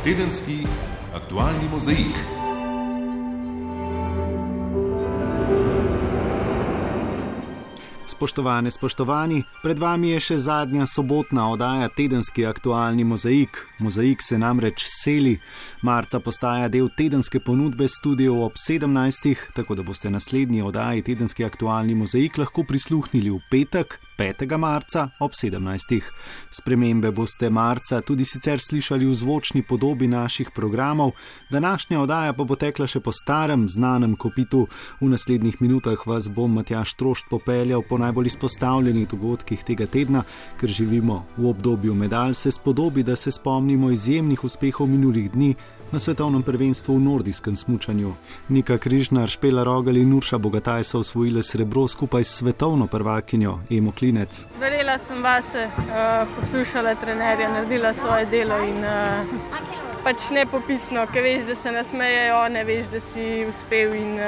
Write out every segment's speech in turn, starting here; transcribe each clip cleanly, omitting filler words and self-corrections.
Tedenski aktualni mozaik. Spoštovane, spoštovani, pred vami je še zadnja sobotna oddaja Tedenski aktualni mozaik. Mozaik se namreč seli. Marca postaja del tedenske ponudbe studijev ob 17. Tako da boste naslednji oddaji Tedenski aktualni mozaik lahko prisluhnili v petek, 5. marca ob 17. Spremembe boste marca tudi sicer slišali v zvočni podobi naših programov. Današnja oddaja pa bo tekla še po starem, znanem kopitu. V naslednjih minutah vas bom Matjaž Trošt popeljal po najbolj izpostavljenih dogodkih tega tedna, ker živimo v obdobju medalj, se spodobi, da se spomnimo izjemnih uspehov minulih dni na svetovnem prvenstvu v nordijskem smučanju. Nika Križnar, Špela Rogelj in Urša Bogataj so osvojile srebro skupaj s svetovno prvakinjo Emo Klinec. Verjela sem vase, poslušala trenerja, naredila svoje delo in pač nepopisno, ker veš, da se nasmejejo, ne veš, da si uspel in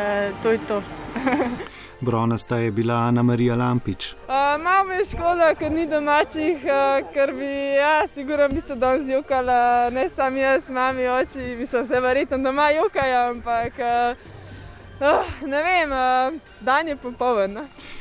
to je to. Bronasta je bila Ana Marija Lampič. Malo me je škoda, ker ni domačih, ker bi, sigurno bi se danes jokala, ne sam jaz, mami, oči, mislim, se verjetno doma jokajo, ampak ne vem, dan je popoln.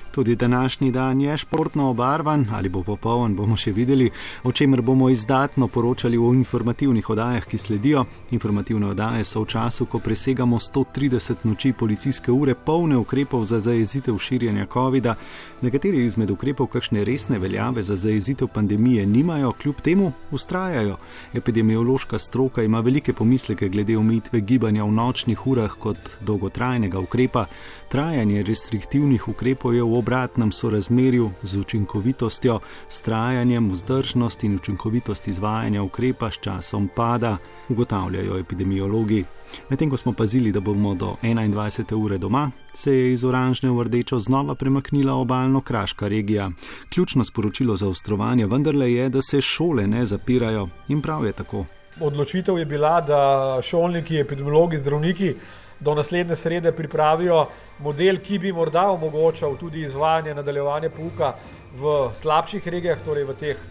Tudi današnji dan je športno obarvan, ali bo popoln, bomo še videli, o čemer bomo izdatno poročali v informativnih oddajah, ki sledijo. Informativne oddaje so v času, ko presegamo 130 noči policijske ure, polne ukrepov za zajezitev širjenja covida. Nekateri izmed ukrepov kakšne resne veljave za zajezitev pandemije nimajo, kljub temu vztrajajo. Epidemiološka stroka ima velike pomisleke glede omejitve gibanja v nočnih urah kot dolgotrajnega ukrepa. Trajanje restriktivnih ukrepov je v obratnem sorazmerju z učinkovitostjo, s trajanjem, vzdržnost in učinkovitost izvajanja ukrepa s časom pada, ugotavljajo epidemiologi. Medtem ko smo pazili, da bomo do 21. ure doma, se je iz oranžne v rdečo znova premaknila obalno-kraška regija. Ključno sporočilo zaostrovanja vendarle je, da se šole ne zapirajo, in prav je tako. Odločitev je bila, da šolniki, epidemiologi, zdravniki do naslednje srede pripravijo model, ki bi morda omogočal tudi izvajanje, nadaljevanje pouka v slabših regijah, torej v teh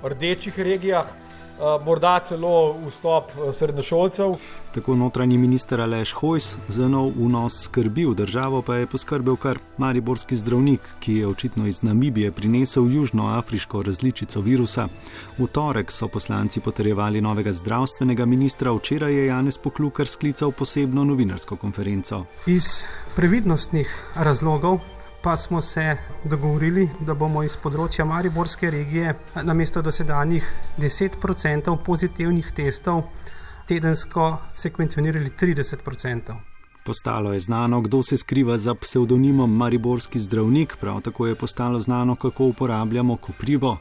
rdečih regijah, morda celo vstop srednješolcev. Tako notranji minister Aleš Hojs za nov vnos skrbi v državo pa je poskrbel kar mariborski zdravnik, ki je očitno iz Namibije prinesel južnoafriško različico virusa. V torek so poslanci potrjevali novega zdravstvenega ministra, včeraj je Janez Poklukar sklical posebno novinarsko konferenco. Iz previdnostnih razlogov pa smo se dogovorili, da bomo iz področja mariborske regije namesto dosedanjih 10% pozitivnih testov tedensko sekvencionirali 30%. Postalo je znano, kdo se skriva za psevdonimom mariborski zdravnik, prav tako je postalo znano, kako uporabljamo koprivo.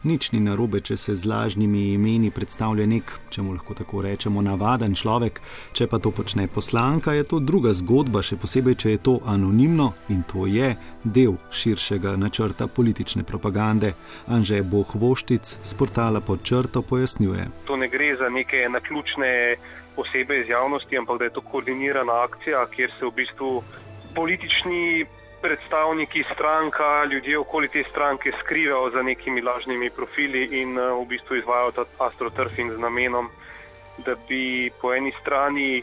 Nič ni narobe, če se z lažnimi imeni predstavlja nek, če mu lahko tako rečemo, navaden človek. Če pa to počne poslanka, je to druga zgodba, še posebej, če je to anonimno, in to je del širšega načrta politične propagande. Anže Bohvoštic z portala Pod črto pojasnjuje. To ne gre za neke naključne osebe iz javnosti, ampak da je to koordinirana akcija, kjer se v bistvu politični predstavniki stranka, ljudje okoli te stranke skrivajo za nekimi lažnimi profili in v bistvu izvajajo ta astroturfing z namenom, da bi po eni strani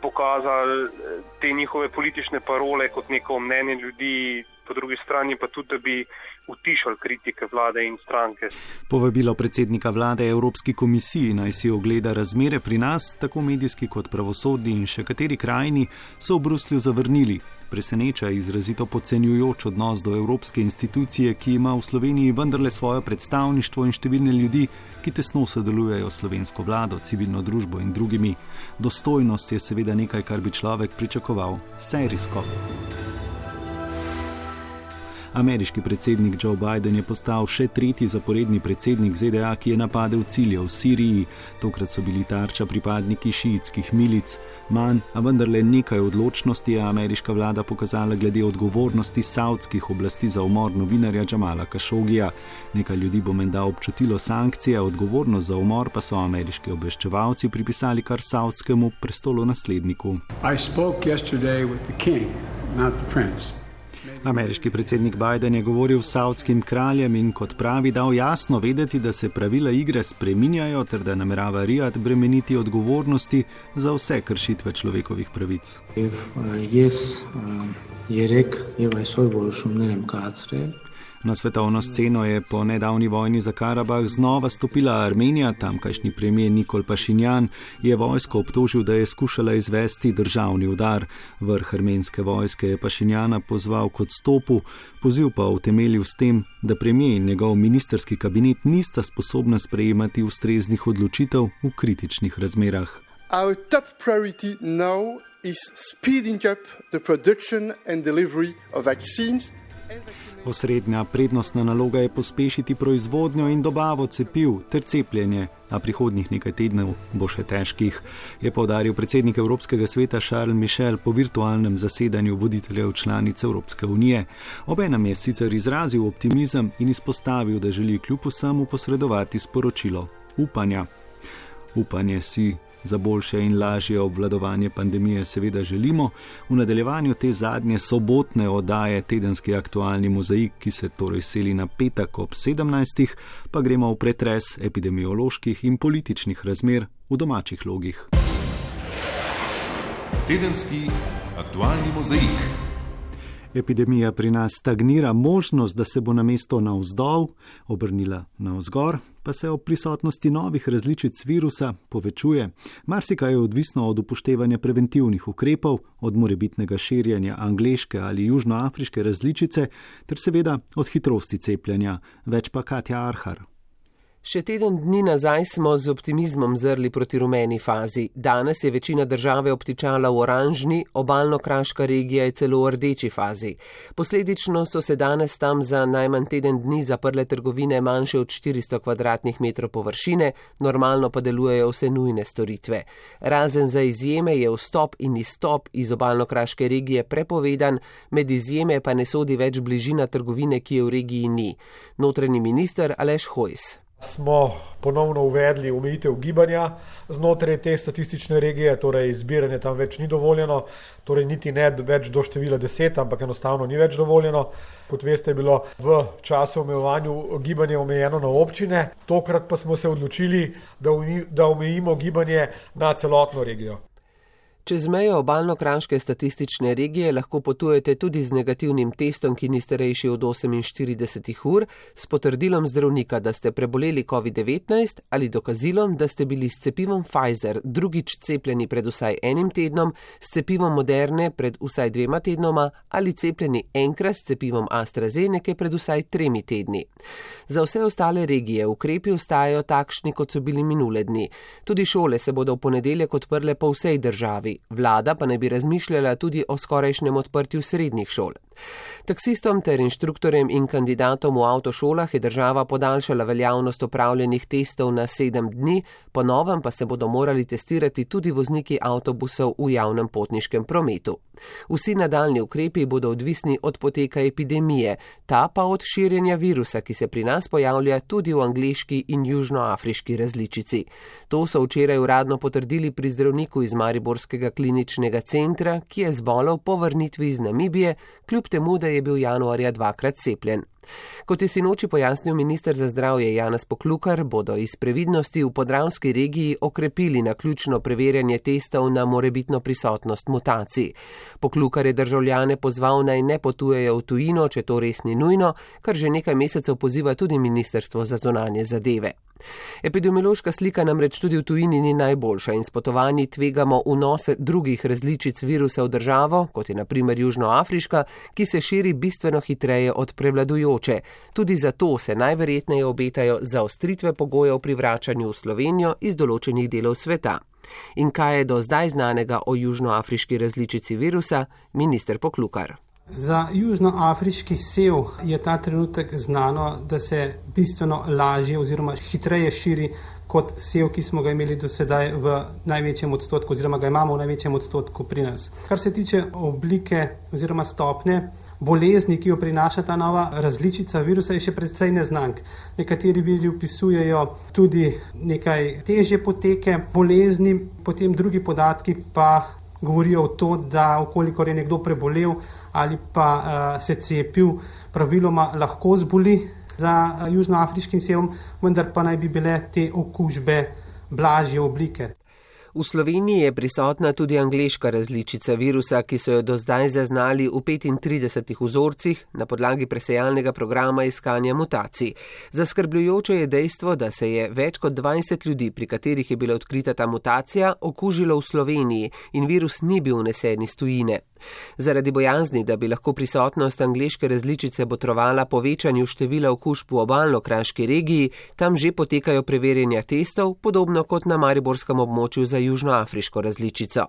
pokazali te njihove politične parole kot neko mnenje ljudi, po drugi strani pa tudi, da bi utišali kritike vlade in stranke. Povabilo predsednika vlade Evropski komisiji naj si ogleda razmere pri nas, tako medijski kot pravosodni in še kateri krajini, so v Bruslju zavrnili. Preseneča izrazito podcenjujoč odnos do evropske institucije, ki ima v Sloveniji vendarle svojo predstavništvo in številne ljudi, ki tesno sodelujejo s slovensko vlado, civilno družbo in drugimi. Dostojnost je seveda nekaj, kar bi človek pričakoval serijsko. Ameriški predsednik Joe Biden je postal še tretji zaporedni predsednik ZDA, ki je napadel cilje v Siriji. Tokrat so bili tarča pripadniki šiitskih milic. Manj, a vendarle nekaj odločnosti je ameriška vlada pokazala glede odgovornosti saudskih oblasti za umor novinarja Jamala Kašogija. Nekaj ljudi bo menda občutilo sankcije, odgovornost za umor pa so ameriški obveščevalci pripisali kar saudskemu prestolonasledniku. I spoke yesterday with the king, not the prince. Ameriški predsednik Biden je govoril s savdskim kraljem in kot pravi dal jasno vedeti, da se pravila igre spreminjajo ter da namerava Rijad bremeniti odgovornosti za vse kršitve človekovih pravic. Na svetovno sceno je po nedavni vojni za Karabah znova stopila Armenija. Tamkajšnji premijer Nikol Pašinjan je vojsko obtožil, da je skušala izvesti državni udar. Vrh armenske vojske je Pašinjana pozval k odstopu, poziv pa utemeljil s tem, da premijer in njegov ministerski kabinet nista sposobna sprejemati ustreznih odločitev v kritičnih razmerah. Our top priority now is speeding up the production and delivery of vaccines. Osrednja prednostna naloga je pospešiti proizvodnjo in dobavo cepiv ter cepljenje, a prihodnjih nekaj tednov bo še težkih, je poudaril predsednik Evropskega sveta Charles Michel po virtualnem zasedanju voditeljev članic Evropske unije. Obenem je sicer izrazil optimizem in izpostavil, da želi kljub vsemu posredovati sporočilo upanja. Upanje si za boljše in lažje obvladovanje pandemije seveda želimo. V nadaljevanju te zadnje sobotne oddaje Tedenski aktualni mozaik, ki se torej seli na petek ob 17. pa gremo v pretres epidemioloških in političnih razmer v domačih logih. Tedenski aktualni mozaik. Epidemija pri nas stagnira, možnost, da se bo namesto navzdol obrnila navzgor, pa se ob prisotnosti novih različic virusa povečuje. Marsikaj je odvisno od upoštevanja preventivnih ukrepov, od morebitnega širjenja angleške ali južnoafriške različice, ter seveda od hitrosti cepljenja. Več pa Katja Arhar. Še teden dni nazaj smo z optimizmom zrli proti rumeni fazi. Danes je večina države obtičala v oranžni, obalno-kraška regija je celo v rdeči fazi. Posledično so se danes tam za najmanj teden dni zaprle trgovine manjše od 400 kvadratnih metrov površine, normalno pa delujejo vse nujne storitve. Razen za izjeme je vstop in izstop iz obalno-kraške regije prepovedan, med izjeme pa ne sodi več bližina trgovine, ki je v regiji ni. Notranji minister Aleš Hojs. Smo ponovno uvedli omejitev gibanja znotraj te statistične regije, torej zbiranje tam več ni dovoljeno, torej niti ne več do števila 10, ampak enostavno ni več dovoljeno. Kot veste, je bilo v času omejevanja gibanje omejeno na občine, tokrat pa smo se odločili, da omejimo gibanje na celotno regijo. Čez mejo obalno-kraške statistične regije lahko potujete tudi z negativnim testom, ki ni starejši od 48 ur, s potrdilom zdravnika, da ste preboleli COVID-19 ali dokazilom, da ste bili s cepivom Pfizer drugič cepljeni pred vsaj enim tednom, s cepivom Moderne pred vsaj 2 tednoma ali cepljeni enkrat s cepivom AstraZeneca pred vsaj 3 tedni. Za vse ostale regije ukrepi ostajajo takšni, kot so bili minule dni. Tudi šole se bodo v ponedeljek odprle po vsej državi. Vlada pa naj bi razmišljala tudi o skorajšnjem odprtju srednjih šol. Taksistom ter inštruktorjem in kandidatom v avtošolah je država podaljšala veljavnost opravljenih testov na 7 dni, po novem pa se bodo morali testirati tudi vozniki avtobusov v javnem potniškem prometu. Vsi nadaljni ukrepi bodo odvisni od poteka epidemije, ta pa od širjenja virusa, ki se pri nas pojavlja tudi v angleški in južnoafriški različici. To so včeraj uradno potrdili pri zdravniku iz Mariborskega kliničnega centra, ki je zbolel po vrnitvi iz Namibije, kljub temu, da je bil januarja 2-krat cepljen. Kot je sinoči pojasnil minister za zdravje Janez Poklukar, bodo iz previdnosti v podravski regiji okrepili naključno preverjanje testov na morebitno prisotnost mutacij. Poklukar je državljane pozval, naj ne potujejo v tujino, če to res ni nujno, kar že nekaj mesecev poziva tudi Ministrstvo za zunanje zadeve. Epidemiološka slika namreč tudi v tujini ni najboljša in s potovanji tvegamo vnos drugih različic virusa v državo, kot je na primer južnoafriška, ki se širi bistveno hitreje od prevladujoče. Tudi zato se najverjetneje obetajo zaostritve pogojev pri vračanju v Slovenijo iz določenih delov sveta. In kaj je do zdaj znanega o južnoafriški različici virusa, minister Poklukar. Za južnoafriški sev je ta trenutek znano, da se bistveno lažje oziroma hitreje širi kot sev, ki smo ga imeli do sedaj v največjem odstotku oziroma ga imamo v največjem odstotku pri nas. Kar se tiče oblike oziroma stopnje bolezni, ki jo prinaša ta nova različica virusa, je še precej neznank. Nekateri viri opisujejo tudi nekaj težje poteke bolezni, potem drugi podatki pa govorijo o to, da ukolikor je nekdo prebolel ali pa se cepil, praviloma lahko zboli za južnoafriškim sevom, vendar pa naj bi bile te okužbe blažje oblike. V Sloveniji je prisotna tudi angleška različica virusa, ki so jo do zdaj zaznali v 35 vzorcih na podlagi presejalnega programa iskanja mutacij. Zaskrbljujoče je dejstvo, da se je več kot 20 ljudi, pri katerih je bila odkrita ta mutacija, okužilo v Sloveniji in virus ni bil vnesen iz tujine. Zaradi bojazni, da bi lahko prisotnost angleške različice botrovala povečanju števila okužb v obalno-kraški regiji, tam že potekajo preverjanja testov, podobno kot na mariborskem območju za južnoafriško različico.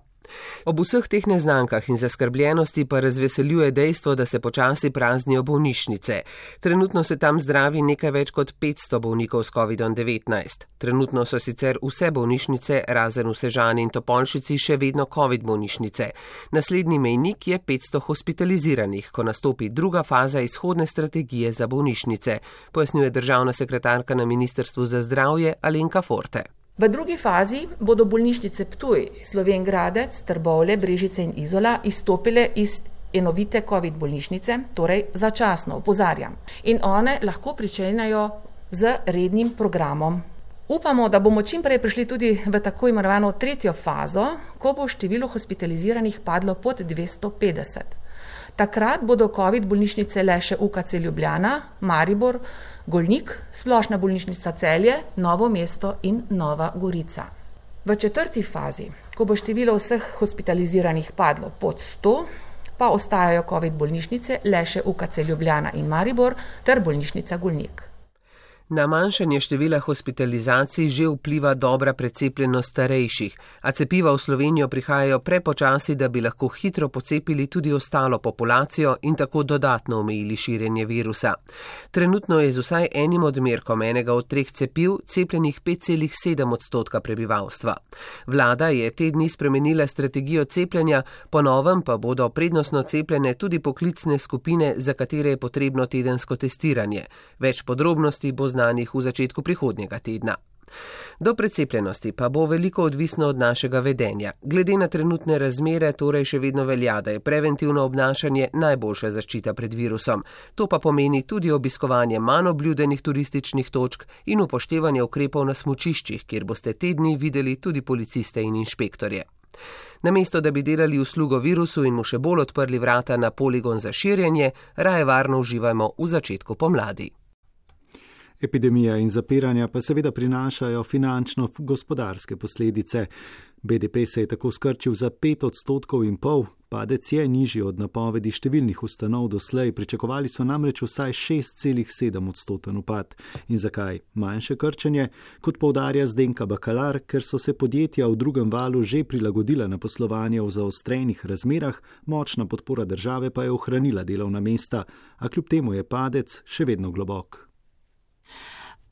Ob vseh teh neznankah in zaskrbljenosti pa razveseljuje dejstvo, da se počasi praznijo bolnišnice. Trenutno se tam zdravi nekaj več kot 500 bolnikov s COVID-19. Trenutno so sicer vse bolnišnice, razen v Sežani in Topolšici, še vedno COVID bolnišnice. Naslednji mejnik je 500 hospitaliziranih, ko nastopi druga faza izhodne strategije za bolnišnice, pojasnjuje državna sekretarka na Ministrstvu za zdravje Alenka Forte. V drugi fazi bodo bolnišnice Ptuj, Slovenj Gradec, Trbovlje, Brežice in Izola izstopile iz enovite COVID bolnišnice, torej začasno, opozarjam. In one lahko pričenjajo z rednim programom. Upamo, da bomo čim prej prišli tudi v tako imenovano tretjo fazo, ko bo število hospitaliziranih padlo pod 250. Takrat bodo COVID bolnišnice le še UKC Ljubljana, Maribor, Golnik, Splošna bolnišnica Celje, Novo mesto in Nova Gorica. V četrti fazi, ko bo število vseh hospitaliziranih padlo pod 100, pa ostajajo COVID bolnišnice le še UKC Ljubljana in Maribor ter bolnišnica Golnik. Na manjšanje števila hospitalizacij že vpliva dobra precepljenost starejših, a cepiva v Slovenijo prihajajo prepočasi, da bi lahko hitro pocepili tudi ostalo populacijo in tako dodatno omejili širjenje virusa. Trenutno je z vsaj enim odmerkom enega od 3 cepiv cepljenih 5,7% prebivalstva. Vlada je te dni spremenila strategijo cepljenja, po novem pa bodo prednostno cepljene tudi poklicne skupine, za katere je potrebno tedensko testiranje. Več podrobnosti bo znanih v začetku prihodnjega tedna. Do precepljenosti pa bo veliko odvisno od našega vedenja. Glede na trenutne razmere torej še vedno velja, da je preventivno obnašanje najboljša zaščita pred virusom. To pa pomeni tudi obiskovanje manj obljudenih turističnih točk in upoštevanje ukrepov na smučiščih, kjer boste te dni videli tudi policiste in inšpektorje. Namesto da bi delali uslugo virusu in mu še bolj odprli vrata na poligon za širjenje, raje varno uživajmo v začetku pomladi. Epidemija in zapiranja pa seveda prinašajo finančno-gospodarske posledice. BDP se je tako skrčil za 5,5%, padec je nižji od napovedi številnih ustanov doslej, pričakovali so namreč vsaj 6,7% upad. In zakaj manjše krčenje? Kot poudarja Zdenka Bakalar, ker so se podjetja v drugem valu že prilagodila na poslovanje v zaostrenih razmerah, močna podpora države pa je ohranila delovna mesta, a kljub temu je padec še vedno globok.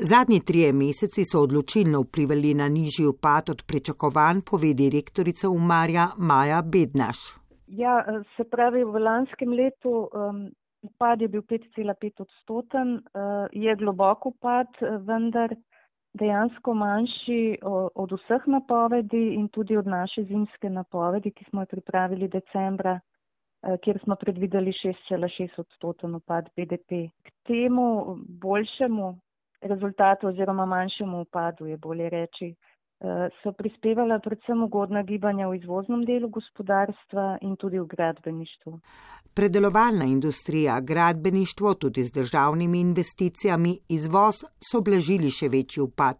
Zadnji 3 meseci so odločilno vplivali na nižji upad od pričakovanj, pove direktorica Umarja Maja Bednaš. Ja, se pravi, v lanskem letu upad je bil 5,5%, je globok upad, vendar dejansko manjši od vseh napovedi in tudi od naše zimske napovedi, ki smo jo pripravili decembra, kjer smo predvideli 6,6% upad BDP. K temu boljšemu rezultatu oziroma manjšemu upadu, je bolje reči, so prispevala predvsem ugodna gibanja v izvoznem delu gospodarstva in tudi v gradbeništvu. Predelovalna industrija, gradbeništvo, tudi z državnimi investicijami, izvoz so blažili še večji upad.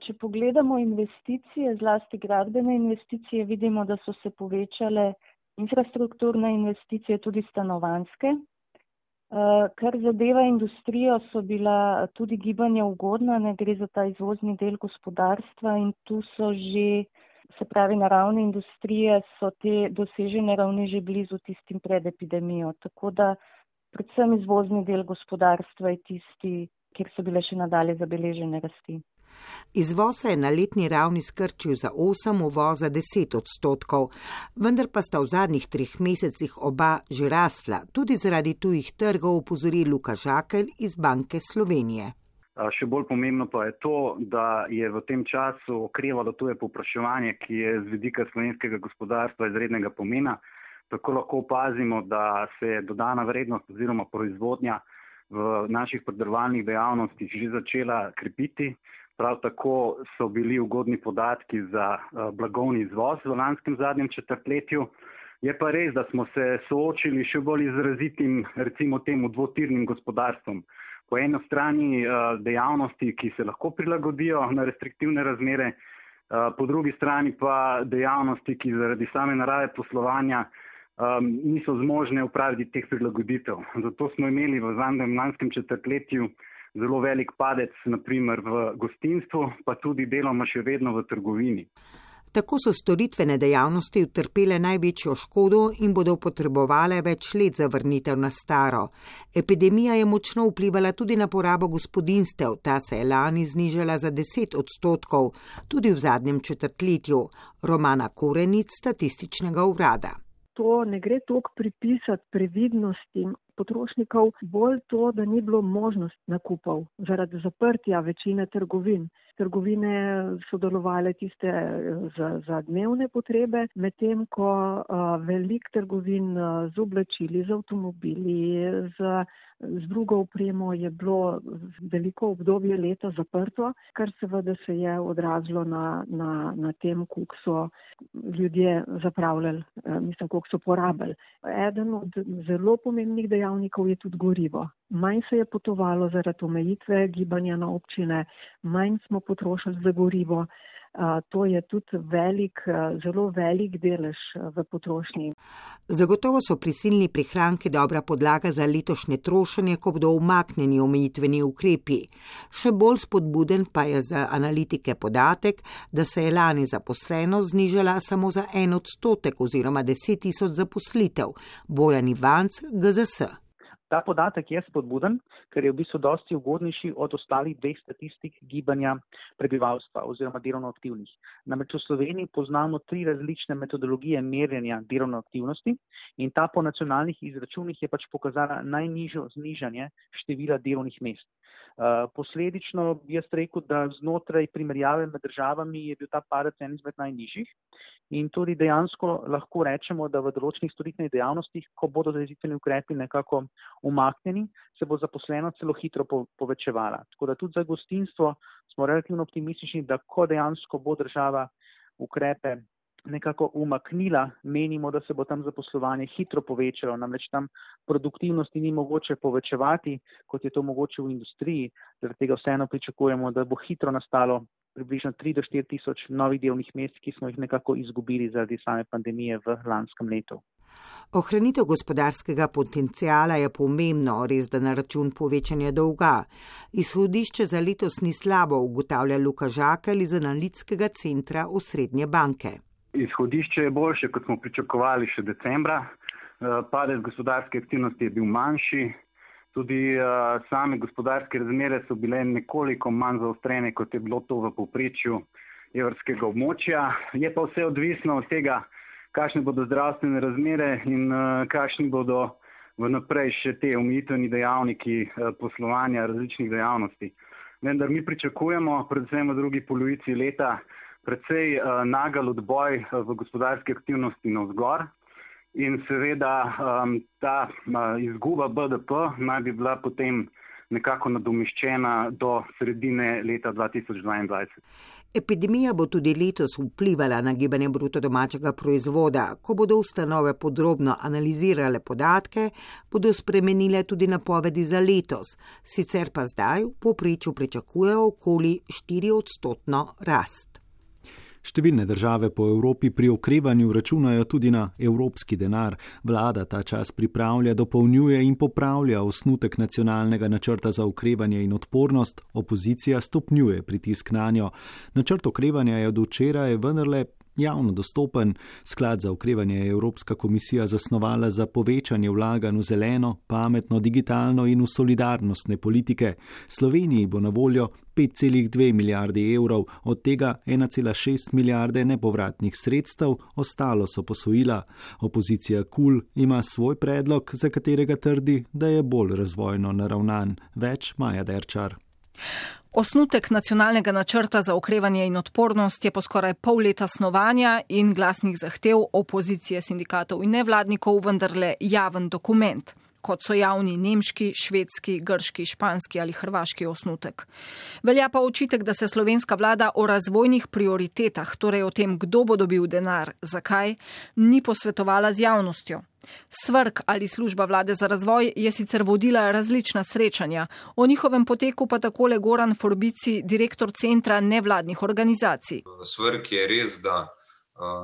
Če pogledamo investicije, zlasti gradbene investicije, vidimo, da so se povečale infrastrukturne investicije, tudi stanovanjske. Kar zadeva industrijo, so bila tudi gibanja ugodna, ne gre za ta izvozni del gospodarstva in tu so že, se pravi na ravni industrije, so te dosežene ravni že blizu tistim pred epidemijo. Tako da predvsem izvozni del gospodarstva je tisti, kjer so bile še nadalje zabeležene rasti. Izvoz se je na letni ravni skrčil za 8%, uvoz za 10%, vendar pa sta v zadnjih 3 mesecih oba že rasla, tudi zaradi tujih trgov, opozori Luka Žakelj iz Banke Slovenije. Še bolj pomembno pa je to, da je v tem času okrevalo tuje povpraševanje, ki je z vidika slovenskega gospodarstva izrednega pomena. Tako lahko opazimo, da se je dodana vrednost oziroma proizvodnja v naših predelovalnih dejavnostih že začela krepiti. Prav tako so bili ugodni podatki za blagovni izvoz v lanskem zadnjem četrtletju. Je pa res, da smo se soočili še bolj izrazitim, recimo temu dvotirnim gospodarstvom. Po eni strani dejavnosti, ki se lahko prilagodijo na restriktivne razmere, po drugi strani pa dejavnosti, ki zaradi same narave poslovanja niso zmožne upraviti teh prilagoditev. Zato smo imeli v zadnjem lanskem četrtletju zelo velik padec, naprimer v gostinstvu, pa tudi deloma še vedno v trgovini. Tako so storitvene dejavnosti utrpele največjo škodo in bodo potrebovale več let za vrnitev na staro. Epidemija je močno vplivala tudi na porabo gospodinjstev, ta se je lani znižala za 10%, tudi v zadnjem četrtletju. Romana Korenic, Statističnega urada. To ne gre toliko pripisati previdnosti potrošnikov, bolj to, da ni bilo možnosti nakupov zaradi zaprtja večine trgovin. Trgovine so delovale tiste za dnevne potrebe, medtem ko velik trgovin z oblačili, z avtomobili, z drugo opremo je bilo veliko obdobje leta zaprto, kar seveda se je odrazilo na tem, koliko so ljudje zapravljali, koliko so porabili. Eden od zelo pomembnih dejavnikov je tudi gorivo. Manj se je potovalo zaradi omejitve gibanja na občine, manj smo potrošili za gorivo. To je tudi zelo velik delež v potrošnji. Zagotovo so prisilni prihranki dobra podlaga za letošnje trošenje, ko bodo umaknjeni omejitveni ukrepi. Še bolj spodbuden pa je za analitike podatek, da se je lani zaposlenost znižala samo za 1% oziroma 10 000 zaposlitev. Bojan Ivanc, GZS. Ta podatek je spodbuden, ker je v bistvu dosti ugodnejši od ostalih dveh statistik gibanja prebivalstva oziroma delovno aktivnih. Namreč v Sloveniji poznamo 3 različne metodologije merjenja delovne aktivnosti in ta po nacionalnih izračunih je pač pokazala najnižjo znižanje števila delovnih mest. Posledično bi jaz rekel, da znotraj primerjave med državami je bil ta padec en izmed najnižjih in tudi dejansko lahko rečemo, da v določenih storitvenih dejavnostih, ko bodo zajezitve ukrepi nekako umaknjeni, se bo zaposlenost celo hitro povečevala. Tako da tudi za gostinstvo smo relativno optimistični, da ko dejansko bo država ukrepe nekako umaknila, menimo, da se bo tam zaposlovanje hitro povečalo, namreč tam produktivnosti ni mogoče povečevati, kot je to mogoče v industriji, zaradi tega vseeno pričakujemo, da bo hitro nastalo približno 3 do 4 tisoč novih delovnih mest, ki smo jih nekako izgubili zaradi same pandemije v lanskem letu. Ohranitev gospodarskega potencijala je pomembno, res da na račun povečanja dolga. Izhodišče za letos ni slabo, ugotavlja Luka Žakelj iz analitskega centra Osrednje banke. Izhodišče je boljše, kot smo pričakovali še decembra. Padec gospodarske aktivnosti je bil manjši. Tudi same gospodarske razmere so bile nekoliko manj zaostrene, kot je bilo to v povprečju evrskega območja. Je pa vse odvisno od tega, kakšne bodo zdravstvene razmere in kakšni bodo vnaprej še te omejitveni dejavniki poslovanja različnih dejavnosti. Vendar mi pričakujemo, predvsem v drugi polovici leta, precej nagel odboj v gospodarski aktivnosti navzgor in seveda ta izguba BDP naj bi bila potem nekako nadomeščena do sredine leta 2022. Epidemija bo tudi letos vplivala na gibanje bruto domačega proizvoda. Ko bodo ustanove podrobno analizirale podatke, bodo spremenile tudi napovedi za letos. Sicer pa zdaj v povprečju pričakujejo okoli 4% rast. Številne države po Evropi pri okrevanju računajo tudi na evropski denar. Vlada ta čas pripravlja, dopolnjuje in popravlja osnutek nacionalnega načrta za okrevanje in odpornost, opozicija stopnjuje pritisk nanjo. Načrt okrevanja je od včeraj vendarle javno dostopen. Sklad za okrevanje je Evropska komisija zasnovala za povečanje vlaganj v zeleno, pametno, digitalno in v solidarnostne politike. Sloveniji bo na voljo 5,2 milijarde evrov, od tega 1,6 milijarde nepovratnih sredstev, ostalo so posojila. Opozicija KUL ima svoj predlog, za katerega trdi, da je bolj razvojno naravnan. Več Maja Derčar. Osnutek nacionalnega načrta za okrevanje in odpornost je po skoraj pol leta snovanja in glasnih zahtev opozicije, sindikatov in nevladnikov vendarle javen dokument, kot so javni nemški, švedski, grški, španski ali hrvaški osnutek. Velja pa očitek, da se slovenska vlada o razvojnih prioritetah, torej o tem, kdo bo dobil denar, zakaj, ni posvetovala z javnostjo. SVRK ali služba vlade za razvoj je sicer vodila različna srečanja, o njihovem poteku pa takole Goran Forbici, direktor centra nevladnih organizacij. SVRK je res, da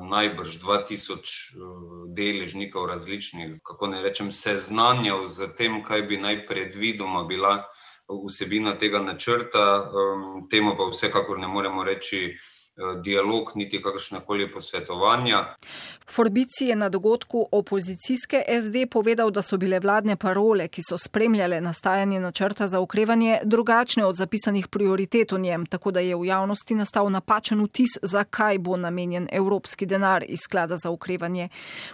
najbrž 2000 deležnikov različnih, kako ne rečem, seznanjal z tem, kaj bi naj predvidoma bila vsebina tega načrta. Temu pa vsekakor ne moremo reči dialog, niti kakršnekoli posvetovanja. Forbici je na dogodku opozicijske SD povedal, da so bile vladne parole, ki so spremljale nastajanje načrta za okrevanje, drugačne od zapisanih prioritet v njem, tako da je v javnosti nastal napačen vtis, zakaj bo namenjen evropski denar iz sklada za okrevanje.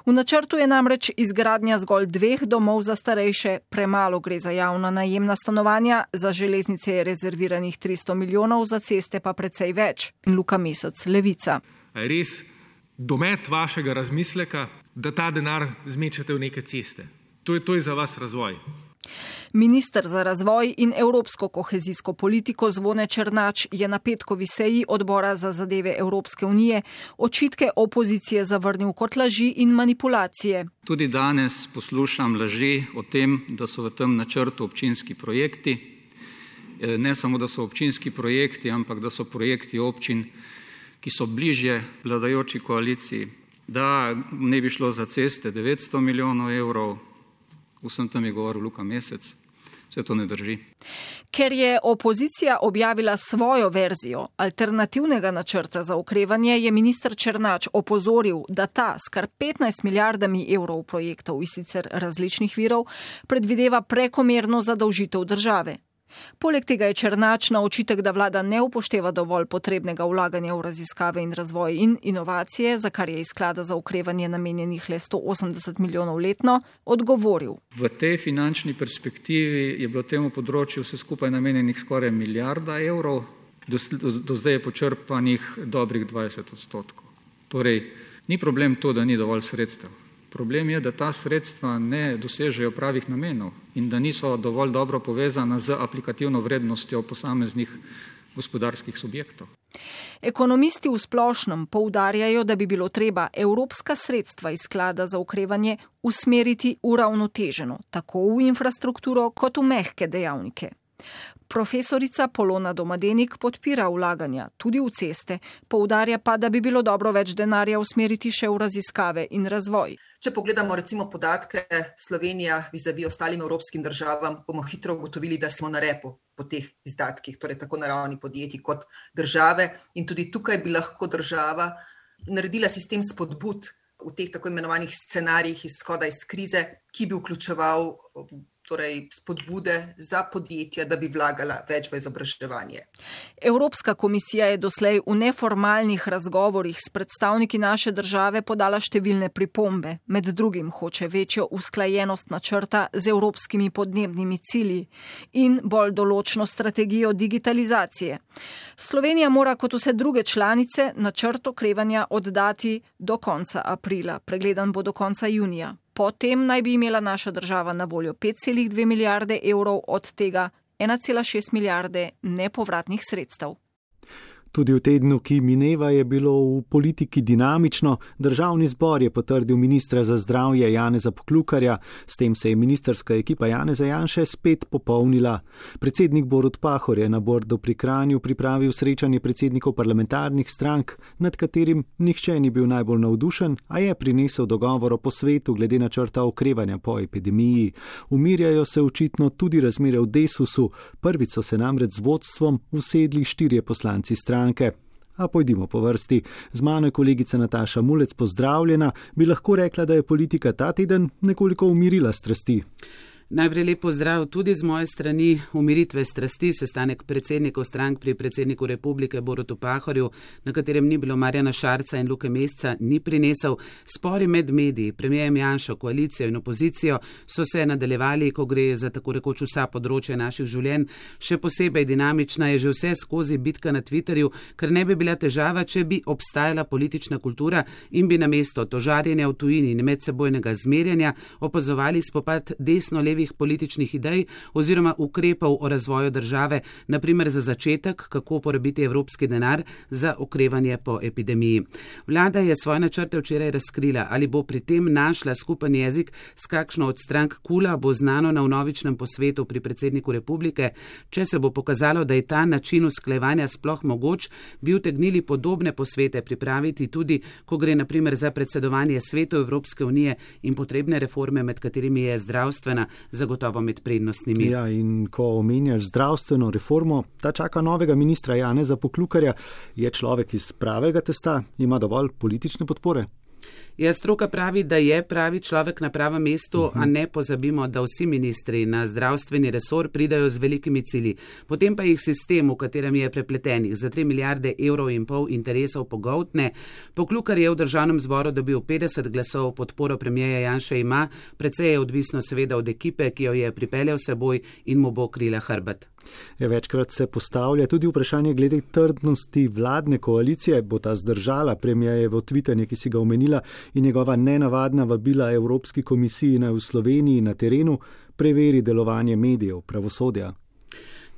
V načrtu je namreč izgradnja zgolj 2 domov za starejše, premalo gre za javna najemna stanovanja, za železnice je rezerviranih 300 milijonov, za ceste pa precej več. In Luka Mesec, Levica. Res domet vašega razmisleka, da ta denar zmečete v neke ceste. To je za vas razvoj. Minister za razvoj in evropsko kohezijsko politiko Zvone Černač je na petkovi seji odbora za zadeve Evropske unije očitke opozicije zavrnil kot laži in manipulacije. Tudi danes poslušam laži o tem, da so v tem načrtu občinski projekti. Ne samo, da so občinski projekti, ampak da so projekti občin, ki so bližje vladajoči koaliciji, da ne bi šlo za ceste 900 milijonov evrov, vsem tam je govoril Luka Mesec, vse to ne drži. Ker je opozicija objavila svojo verzijo alternativnega načrta za okrevanje, je minister Černač opozoril, da ta s kar 15 milijardami evrov projektov iz sicer različnih virov predvideva prekomerno zadolžitev države. Poleg tega je Černač na očitek, da vlada ne upošteva dovolj potrebnega vlaganja v raziskave in razvoj in inovacije, za kar je iz sklada za okrevanje namenjenih le 180 milijonov letno, odgovoril. V tej finančni perspektivi je bilo temu področju vse skupaj namenjenih skoraj milijarda evrov, do zdaj je počrpanih dobrih 20%. Torej, ni problem to, da ni dovolj sredstev. Problem je, da ta sredstva ne dosežejo pravih namenov in da niso dovolj dobro povezana z aplikativno vrednostjo posameznih gospodarskih subjektov. Ekonomisti v splošnem poudarjajo, da bi bilo treba evropska sredstva iz sklada za okrevanje usmeriti uravnoteženo, tako v infrastrukturo kot v mehke dejavnike. Profesorica Polona Domadenik podpira vlaganja tudi v ceste, poudarja pa, da bi bilo dobro več denarja usmeriti še v raziskave in razvoj. Če pogledamo recimo podatke Slovenija vizavi ostalim evropskim državam, bomo hitro ugotovili, da smo na repu po teh izdatkih, torej tako na ravni podjetij kot države, in tudi tukaj bi lahko država naredila sistem spodbud v teh tako imenovanih scenarijih izhoda iz krize, ki bi vključeval torej spodbude za podjetja, da bi vlagala več v izobraževanje. Evropska komisija je doslej v neformalnih razgovorih s predstavniki naše države podala številne pripombe. Med drugim hoče večjo usklajenost načrta z evropskimi podnebnimi cilji in bolj določno strategijo digitalizacije. Slovenija mora kot vse druge članice načrt okrevanja oddati do konca aprila. Pregledan bo do konca junija. Potem naj bi imela naša država na voljo 5,2 milijarde evrov, od tega 1,6 milijarde nepovratnih sredstev. Tudi v tednu, ki mineva, je bilo v politiki dinamično. Državni zbor je potrdil ministra za zdravje Janeza Poklukarja, s tem se je ministrska ekipa Janeza Janše spet popolnila. Predsednik Borut Pahor je na Bordu pri Kranju pripravil srečanje predsednikov parlamentarnih strank, nad katerim nihče ni bil najbolj navdušen, a je prinesel dogovor o posvetu glede načrta okrevanja po epidemiji. Umirjajo se očitno tudi razmere v Desusu, prvič so se namreč z vodstvom usedli 4 poslanci stranke. A pojdimo po vrsti. Z mano je kolegica Nataša Mulec, pozdravljena. Bi lahko rekla, da je politika ta teden nekoliko umirila strasti? Najprej lep pozdrav tudi z moje strani. Umiritve strasti, sestanek predsednikov strank pri predsedniku republike Borutu Pahorju, na katerem ni bilo Marjana Šarca in Luke Mesca, ni prinesel. Spori med mediji, premijerjem Janšo, koalicijo in opozicijo so se nadaljevali, ko gre za tako rekoč vsa področja naših življenj. Še posebej dinamična je že vse skozi bitka na Twitterju, ker ne bi bila težava, če bi obstajala politična kultura in bi namesto tožarjenja v tujini in medsebojnega zmerjanja opazovali spopad desno-levi političnih idej oziroma ukrepov o razvoju države, naprimer za začetek, kako porabiti evropski denar za okrevanje po epidemiji. Vlada je svoje načrte včeraj razkrila, ali bo pri tem našla skupen jezik s kakšno od strank KUL-a, bo znano na vnovičnem posvetu pri predsedniku republike. Če se bo pokazalo, da je ta način usklajevanja sploh mogoč, bi utegnili podobne posvete pripraviti tudi, ko gre naprimer za predsedovanje Svetu Evropske unije in potrebne reforme, med katerimi je zdravstvena zagotovo med prednostnimi. Ja, in ko omenjaš zdravstveno reformo, ta čaka novega ministra Janeza Poklukarja. Je človek iz pravega testa, ima dovolj politične podpore? Ja, stroka pravi, da je pravi človek na pravem mestu, a ne pozabimo, da vsi ministri na zdravstveni resor pridajo z velikimi cilji. Potem pa jih sistem, v katerem je prepletenih za 3,5 milijarde evrov interesov pogoltne. Poklukar je v državnem zboru dobil 50 glasov, podporo premijerja Janše ima, precej je odvisno seveda od ekipe, ki jo je pripeljal seboj in mu bo krila hrbet. Večkrat se postavlja tudi vprašanje glede trdnosti vladne koalicije. Bo ta zdržala premijejevo tvitanje, ki si ga omenila, in njegova nenavadna vabila Evropski komisiji naj v Sloveniji na terenu preveri delovanje medijev, pravosodja?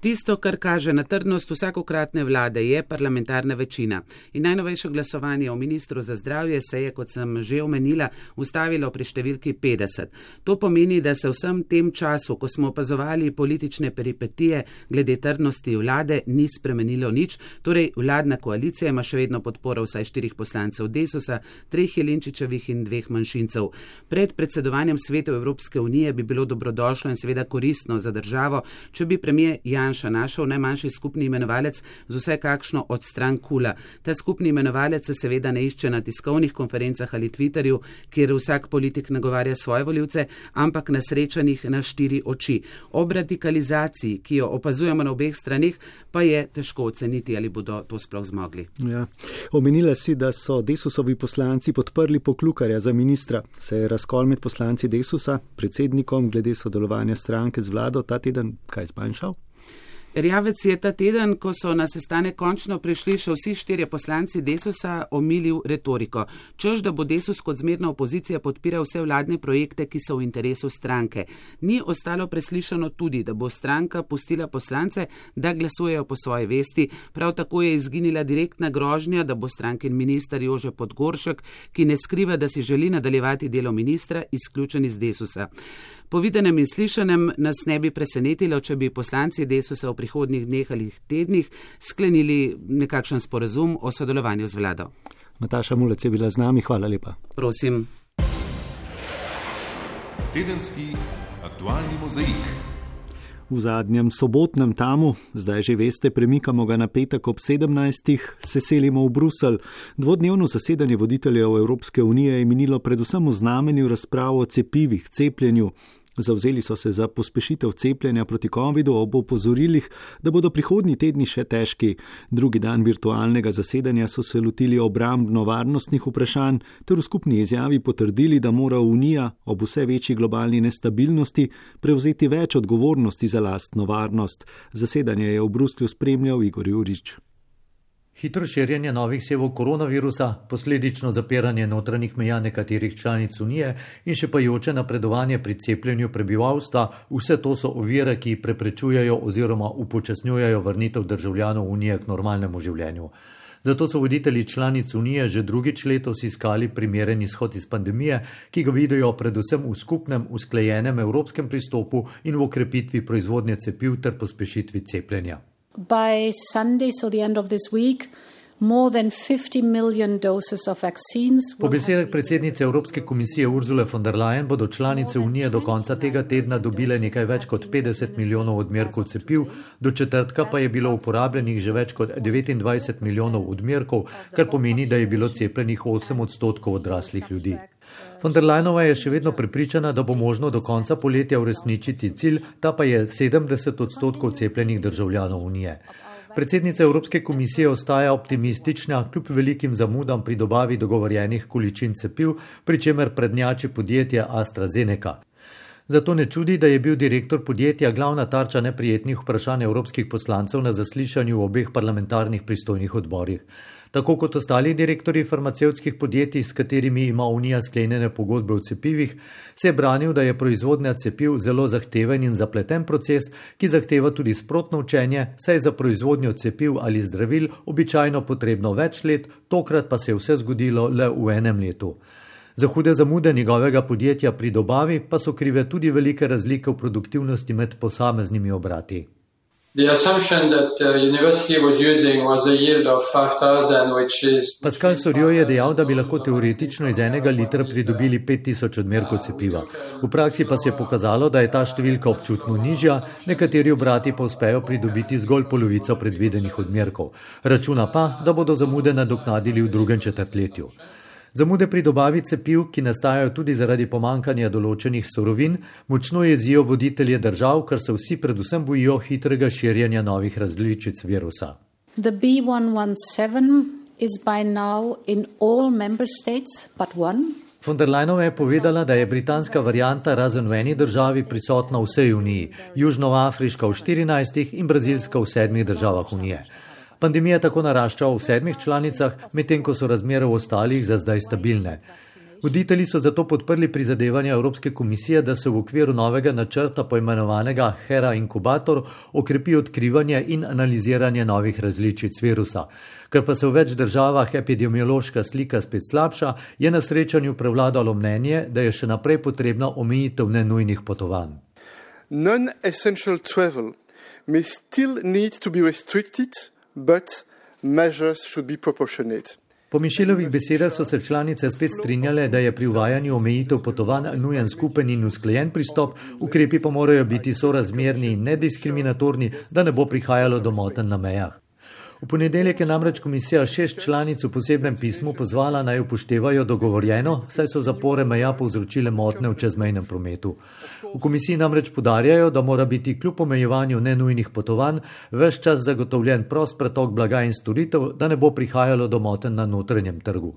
Tisto, kar kaže na trdnost vsakokratne vlade, je parlamentarna večina. In najnovejše glasovanje o ministru za zdravje se je, kot sem že omenila, ustavilo pri številki 50. To pomeni, da se vsem tem času, ko smo opazovali politične peripetije glede trdnosti vlade, ni spremenilo nič. Torej, vladna koalicija ima še vedno podporo vsaj 4 poslancev Desusa, 3 Jelinčičevih in 2 manjšincev. Pred predsedovanjem Svetu Evropske unije bi bilo dobrodošlo in seveda koristno za državo, če bi premijer Janša našel najmanjši skupni imenovalec z vsaj kakšno od strank KUL-a. Ta skupni imenovalec se seveda ne išče na tiskovnih konferencah ali Twitterju, kjer vsak politik nagovarja svoje volivce, ampak na srečanjih na 4 oči. Ob radikalizaciji, ki jo opazujemo na obeh stranih, pa je težko oceniti, ali bodo to sploh zmogli. Ja. Omenila si, da so Desusovi poslanci podprli Poklukarja za ministra. Se je razkol med poslanci Desusa, predsednikom glede sodelovanja stranke z vlado ta teden kaj zmanjšal? Erjavec je ta teden, ko so na sestanek končno prišli še vsi 4 poslanci Desusa, omilil retoriko. Čež, da bo Desus kot zmerna opozicija podpiral vse vladne projekte, ki so v interesu stranke. Ni ostalo preslišano tudi, da bo stranka pustila poslance, da glasujejo po svoji vesti. Prav tako je izginila direktna grožnja, da bo strankin minister Jože Podgoršek, ki ne skriva, da si želi nadaljevati delo ministra, izključen iz Desusa. Po videnem in slišanem nas ne bi presenetilo, če bi poslanci Desusa v prihodnjih dneh ali tednih sklenili nekakšen sporazum o sodelovanju z vlado. Nataša Mulec je bila z nami, hvala lepa. Prosim. Tedenski aktualni mozaik. V zadnjem sobotnem tamu, zdaj že veste, premikamo ga na petek ob 17. se selimo v Bruselj. Dvodnevno zasedanje voditeljev Evropske unije je minilo predvsem v znamenju razprav o cepivih, cepljenju. Zavzeli so se za pospešitev cepljenja proti covidu ob opozorilih, da bodo prihodnji tedni še težki. Drugi dan virtualnega zasedanja so se lotili obrambno-varnostnih vprašanj ter v skupni izjavi potrdili, da mora Unija ob vse večji globalni nestabilnosti prevzeti več odgovornosti za lastno varnost. Zasedanje je v Bruslju spremljal Igor Jurič. Hitro širjenje novih sevov koronavirusa, posledično zapiranje notranjih meja nekaterih članic Unije in še pajoče napredovanje pri cepljenju prebivalstva, vse to so ovire, ki preprečujejo oziroma upočasnjujejo vrnitev državljanov Unije k normalnemu življenju. Zato so voditelji članic Unije že drugič letos iskali primeren izhod iz pandemije, ki ga vidijo predvsem v skupnem, usklajenem evropskem pristopu in v okrepitvi proizvodnje cepiv ter pospešitvi cepljenja. By Sunday, so the end of this week, Po besedah predsednice Evropske komisije Ursule von der Leyen bodo članice Unije do konca tega tedna dobile nekaj več kot 50 milijonov odmerkov cepiv, do četrtka pa je bilo uporabljenih že več kot 29 milijonov odmerkov, kar pomeni, da je bilo cepljenih 8% odraslih ljudi. Von der Leyenova je še vedno prepričana, da bo možno do konca poletja uresničiti cilj, ta pa je 70% cepljenih državljanov Unije. Predsednica Evropske komisije ostaja optimistična kljub velikim zamudam pri dobavi dogovorjenih količin cepiv, pri čemer prednjači podjetje AstraZeneca. Zato ne čudi, da je bil direktor podjetja glavna tarča neprijetnih vprašanj evropskih poslancev na zaslišanju v obeh parlamentarnih pristojnih odborih. Tako kot ostali direktorji farmacevtskih podjetij, s katerimi ima Unija sklenjene pogodbe o cepivih, se je branil, da je proizvodnja cepiv zelo zahteven in zapleten proces, ki zahteva tudi sprotno učenje, saj je za proizvodnjo cepiv ali zdravil običajno potrebno več let, tokrat pa se je vse zgodilo le v enem letu. Za hude zamude njegovega podjetja pri dobavi pa so krive tudi velike razlike v produktivnosti med posameznimi obrati. Pascal Soriot je dejal, da bi lahko teoretično iz enega litra pridobili 5000 odmerkov cepiva. V praksi pa se je pokazalo, da je ta številka občutno nižja, nekateri obrati pa uspejo pridobiti zgolj polovico predvidenih odmerkov. Računa pa, da bodo zamude nadoknadili v drugem četrtletju. Zamude pri dobavi cepiv, ki nastajajo tudi zaradi pomankanja določenih surovin, močno jezijo voditelje držav, ker se vsi predvsem bojijo hitrega širjenja novih različic virusa. The B117 is by now in all member states but one. Von der Leyenova je povedala, da je britanska varianta razen v eni državi prisotna v vsej Uniji, južnoafriška v 14 in brazilska v 7 državah Unije. Pandemija tako narašča v 7 članicah, medtem ko so razmere v ostalih za zdaj stabilne. Voditelji so zato podprli prizadevanja Evropske komisije, da se v okviru novega načrta poimenovanega HERA inkubator okrepi odkrivanje in analiziranje novih različic virusa. Ker pa se v več državah epidemiološka slika spet slabša, je na srečanju prevladalo mnenje, da je še naprej potrebna omejitev nenujnih potovanj. Non-essential travel may still need to be restricted, but measures should be proportionate. Po Mišelovih besedah so se članice spet strinjale, da je pri uvajanju omejitev potovanj nujen skupen in usklajen pristop, ukrepi pa morajo biti sorazmerni in nediskriminatorni, da ne bo prihajalo do motenj na mejah. V ponedeljek je namreč komisija 6 članic v posebnem pismu pozvala naj upoštevajo dogovorjeno, saj so zapore meja povzročile motnje v čezmejnem prometu. V komisiji namreč poudarjajo, da mora biti kljub omejevanju nenujnih potovanj ves čas zagotovljen prost pretok blaga in storitev, da ne bo prihajalo do motenj na notranjem trgu.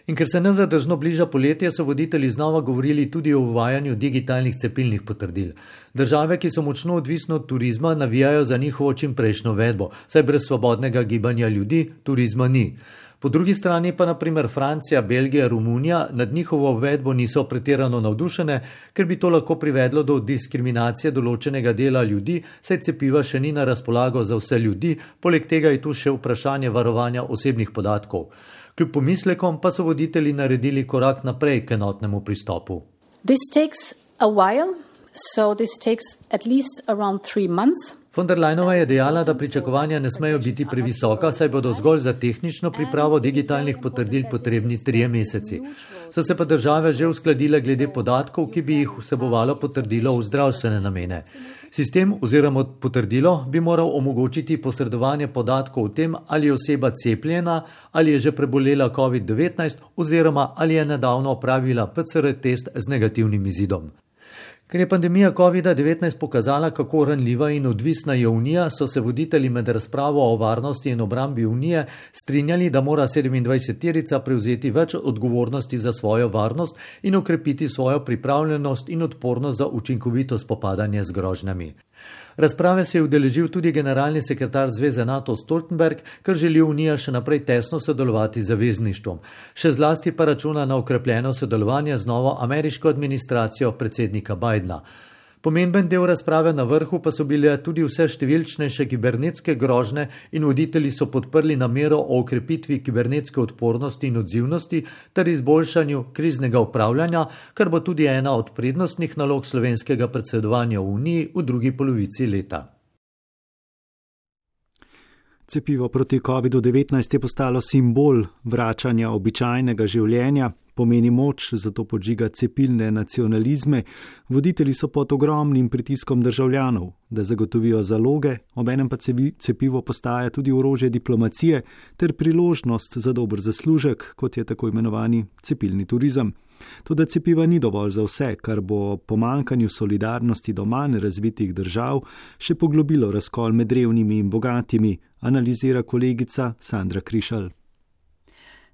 In ker se nezadržno bliža poletje, so voditelji znova govorili tudi o uvajanju digitalnih cepilnih potrdil. Države, ki so močno odvisne od turizma, navijajo za njihovo čimprejšnjo uvedbo, saj brez svobodnega gibanja ljudi turizma ni. Po drugi strani pa naprimer Francija, Belgija, Romunija nad njihovo uvedbo niso pretirano navdušene, ker bi to lahko privedlo do diskriminacije določenega dela ljudi, saj cepiva še ni na razpolago za vse ljudi, poleg tega je tu še vprašanje varovanja osebnih podatkov. Kljub pomislekom pa so voditelji naredili korak naprej k enotnemu pristopu. This takes a while, so this takes at least around 3 months. Von der Leyenova je dejala, da pričakovanja ne smejo biti previsoka, saj bodo zgolj za tehnično pripravo digitalnih potrdil potrebni 3 meseci. So se pa države že uskladile glede podatkov, ki bi jih vsebovalo potrdilo v zdravstvene namene. Sistem oziroma potrdilo bi moral omogočiti posredovanje podatkov o tem, ali je oseba cepljena, ali je že prebolela COVID-19 oziroma ali je nedavno opravila PCR test z negativnim izidom. Ker je pandemija COVID-19 pokazala, kako ranljiva in odvisna je Unija, so se voditelji med razpravo o varnosti in obrambi Unije strinjali, da mora 27-terica prevzeti več odgovornosti za svojo varnost in okrepiti svojo pripravljenost in odpornost za učinkovito spopadanje z grožnjami. Razprave se je udeležil tudi generalni sekretar Zveze NATO Stoltenberg, ker želi Unija še naprej tesno sodelovati z zavezništvom. Še zlasti pa računa na okrepljeno sodelovanje z novo ameriško administracijo predsednika Bidena. Pomemben del razprave na vrhu pa so bile tudi vse številčnejše kibernetske grožnje in voditelji so podprli namero o okrepitvi kibernetske odpornosti in odzivnosti ter izboljšanju kriznega upravljanja, kar bo tudi ena od prednostnih nalog slovenskega predsedovanja v Uniji v drugi polovici leta. Cepivo proti COVID-19 je postalo simbol vračanja običajnega življenja, pomeni moč, zato podžiga cepilne nacionalizme. Voditelji so pod ogromnim pritiskom državljanov, da zagotovijo zaloge, obenem pa cepivo postaja tudi orožje diplomacije ter priložnost za dober zaslužek, kot je tako imenovani cepilni turizem. Toda cepiva ni dovolj za vse, kar bo pomanjkanju solidarnosti do manj razvitih držav še poglobilo razkol med revnimi in bogatimi, analizira kolegica Sandra Krišal.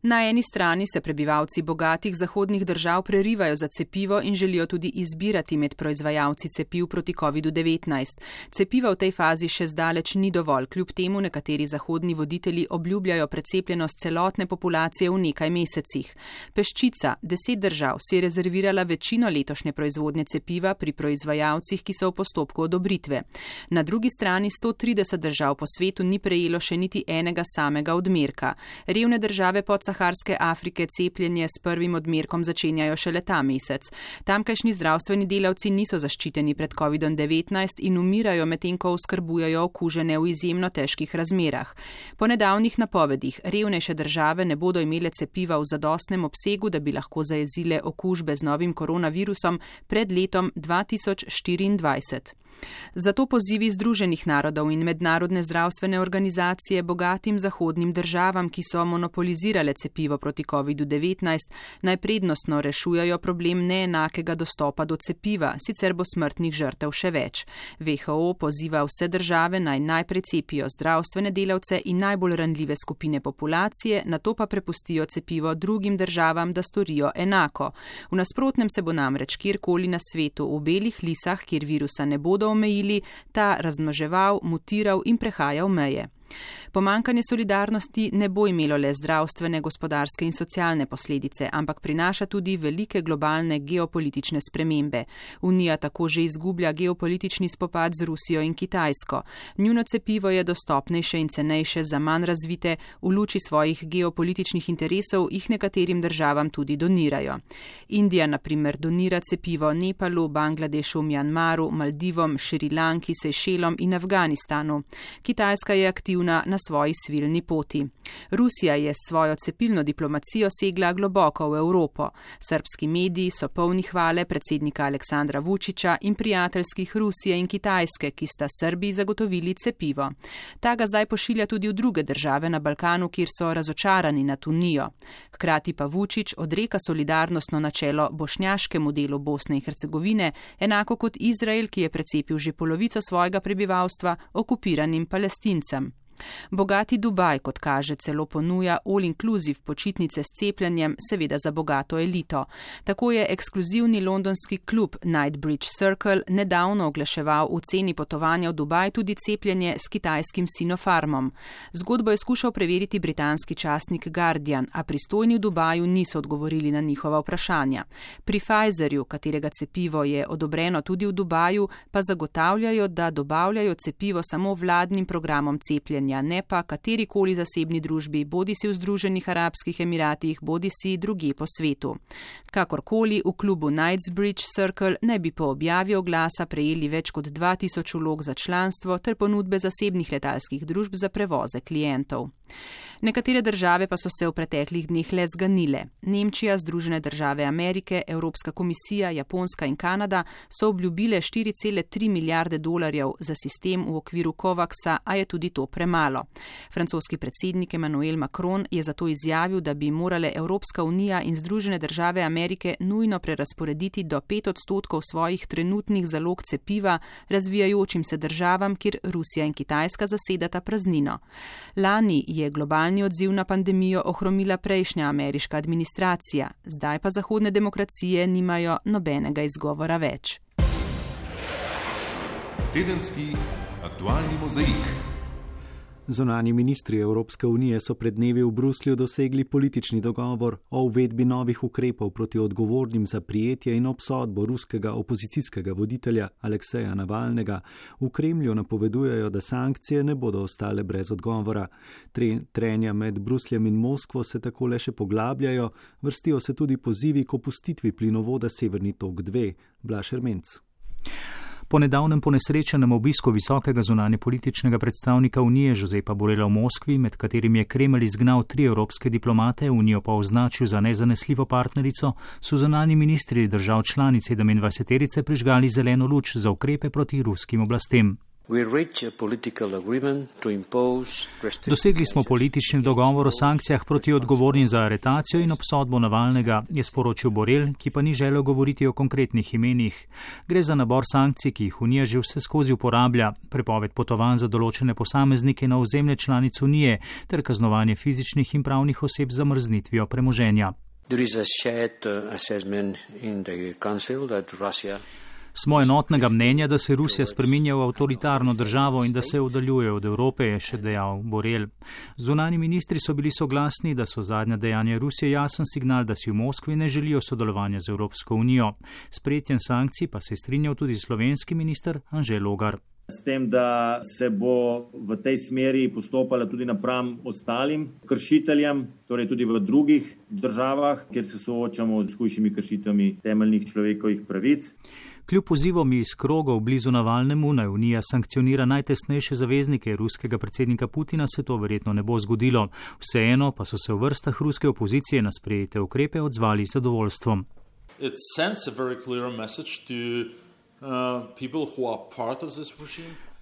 Na eni strani se prebivalci bogatih zahodnih držav prerivajo za cepivo in želijo tudi izbirati med proizvajalci cepiv proti COVID-19. Cepiva v tej fazi še zdaleč ni dovolj, kljub temu nekateri zahodni voditelji obljubljajo precepljenost celotne populacije v nekaj mesecih. Peščica, 10 držav, si je rezervirala večino letošnje proizvodnje cepiva pri proizvajalcih, ki so v postopku odobritve. Na drugi strani 130 držav po svetu ni prejelo še niti enega samega odmerka. Revne države Saharske Afrike cepljenje s prvim odmerkom začenjajo šele ta mesec. Tamkajšnji zdravstveni delavci niso zaščiteni pred COVID-19 in umirajo, medtem ko oskrbujejo okužene v izjemno težkih razmerah. Po nedavnih napovedih revnejše države ne bodo imele cepiva v zadostnem obsegu, da bi lahko zajezile okužbe z novim koronavirusom pred letom 2024. Zato pozivi Združenih narodov in mednarodne zdravstvene organizacije bogatim zahodnim državam, ki so monopolizirale cepivo proti COVID-19, naj prednostno rešujejo problem neenakega dostopa do cepiva, sicer bo smrtnih žrtev še več. WHO poziva vse države naj najprej cepijo zdravstvene delavce in najbolj ranljive skupine populacije, nato pa prepustijo cepivo drugim državam, da storijo enako. V nasprotnem se bo namreč kjerkoli na svetu v belih lisah, kjer virusa ne bodo omejili, ta razmnoževal, mutiral in prehajal meje. Pomanjkanje solidarnosti ne bo imelo le zdravstvene, gospodarske in socialne posledice, ampak prinaša tudi velike globalne geopolitične spremembe. Unija tako že izgublja geopolitični spopad z Rusijo in Kitajsko. Njuno cepivo je dostopnejše in cenejše za manj razvite, v luči svojih geopolitičnih interesov jih nekaterim državam tudi donirajo. Indija, na primer, donira cepivo Nepalu, Bangladešu, Mjanmaru, Maldivom, Šrilanki, Sejšelom in Afganistanu. Kitajska je aktivna na svoji svilni poti. Rusija je s svojo cepilno diplomacijo segla globoko v Evropo. Srbski mediji so polni hvale predsednika Aleksandra Vučića in prijateljskih Rusije in Kitajske, ki sta Srbiji zagotovili cepivo. Ta ga zdaj pošilja tudi v druge države na Balkanu, kjer so razočarani nad Unijo. Hkrati pa Vučić odreka solidarnostno načelo bošnjaškemu delu Bosne in Hercegovine, enako kot Izrael, ki je precepil že polovico svojega prebivalstva okupiranim Palestincem. Bogati Dubaj, kot kaže, celo ponuja all-inclusive počitnice s cepljenjem, seveda za bogato elito. Tako je ekskluzivni londonski klub Knightsbridge Circle nedavno oglaševal v ceni potovanja v Dubaj tudi cepljenje s kitajskim Sinopharmom. Zgodbo je skušal preveriti britanski časnik Guardian, a pristojni v Dubaju niso odgovorili na njihova vprašanja. Pri Pfizerju, katerega cepivo je odobreno tudi v Dubaju, pa zagotavljajo, da dobavljajo cepivo samo vladnim programom cepljenja, ne pa katerikoli zasebni družbi, bodisi v Združenih arabskih emiratih, bodisi drugje po svetu. Kakorkoli, v klubu Knightsbridge Circle ne bi po objavi oglasa prejeli več kot 2000 vlog za članstvo ter ponudbe zasebnih letalskih družb za prevoze klientov. Nekatere države pa so se v preteklih dneh le zganile. Nemčija, Združene države Amerike, Evropska komisija, Japonska in Kanada so obljubile 4,3 milijarde dolarjev za sistem v okviru COVAX-a, a je tudi to premalo. Francoski predsednik Emmanuel Macron je zato izjavil, da bi morale Evropska unija in Združene države Amerike nujno prerasporediti do 5% svojih trenutnih zalog cepiva razvijajočim se državam, kjer Rusija in Kitajska zasedata praznino. Lani je globalni odziv na pandemijo ohromila prejšnja ameriška administracija, zdaj pa zahodne demokracije nimajo nobenega izgovora več. Tedenski aktualni mozaik. Zunanji ministri Evropske unije so pred dnevi v Bruslju dosegli politični dogovor o uvedbi novih ukrepov proti odgovornim za prijetje in obsodbo ruskega opozicijskega voditelja Alekseja Navalnega. V Kremlju napovedujejo, da sankcije ne bodo ostale brez odgovora. Trenja med Brusljem in Moskvo se tako le še poglabljajo, vrstijo se tudi pozivi k opustitvi plinovoda Severni tok 2. Blaž Ermenc. Po nedavnem ponesrečenem obisku visokega zunanjepolitičnega predstavnika Unije Josepa Borrella v Moskvi, med katerim je Kremelj izgnal 3 evropske diplomate, Unijo pa označil za nezanesljivo partnerico, so zunanji ministri držav članic 27-terice prižgali zeleno luč za ukrepe proti ruskim oblastem. Dosegli smo politični dogovor o sankcijah proti odgovornim za aretacijo in obsodbo Navalnega, je sporočil Borrell, ki pa ni želel govoriti o konkretnih imenih. Gre za nabor sankcij, ki jih Unija že vse skozi uporablja, prepoved potovanj za določene posameznike na ozemlje članic Unije ter kaznovanje fizičnih in pravnih oseb z zamrznitvijo premoženja. Smo enotnega mnenja, da se Rusija spreminja v avtoritarno državo in da se oddaljuje od Evrope, je še dejal Borrell. Zunanji ministri so bili soglasni, da so zadnja dejanja Rusije jasen signal, da si v Moskvi ne želijo sodelovanja z Evropsko unijo. S sprejetjem sankcij pa se je strinjal tudi slovenski minister Anže Logar. S tem, da se bo v tej smeri postopala tudi napram ostalim kršiteljem, torej tudi v drugih državah, kjer se soočamo z hujšimi kršitvami temeljnih človekovih pravic. Kljub pozivom iz krogov blizu Navalnemu, naj Unija sankcionira najtesnejše zaveznike ruskega predsednika Putina, se to verjetno ne bo zgodilo. Vseeno pa so se v vrstah ruske opozicije na sprejete ukrepe odzvali z zadovoljstvom.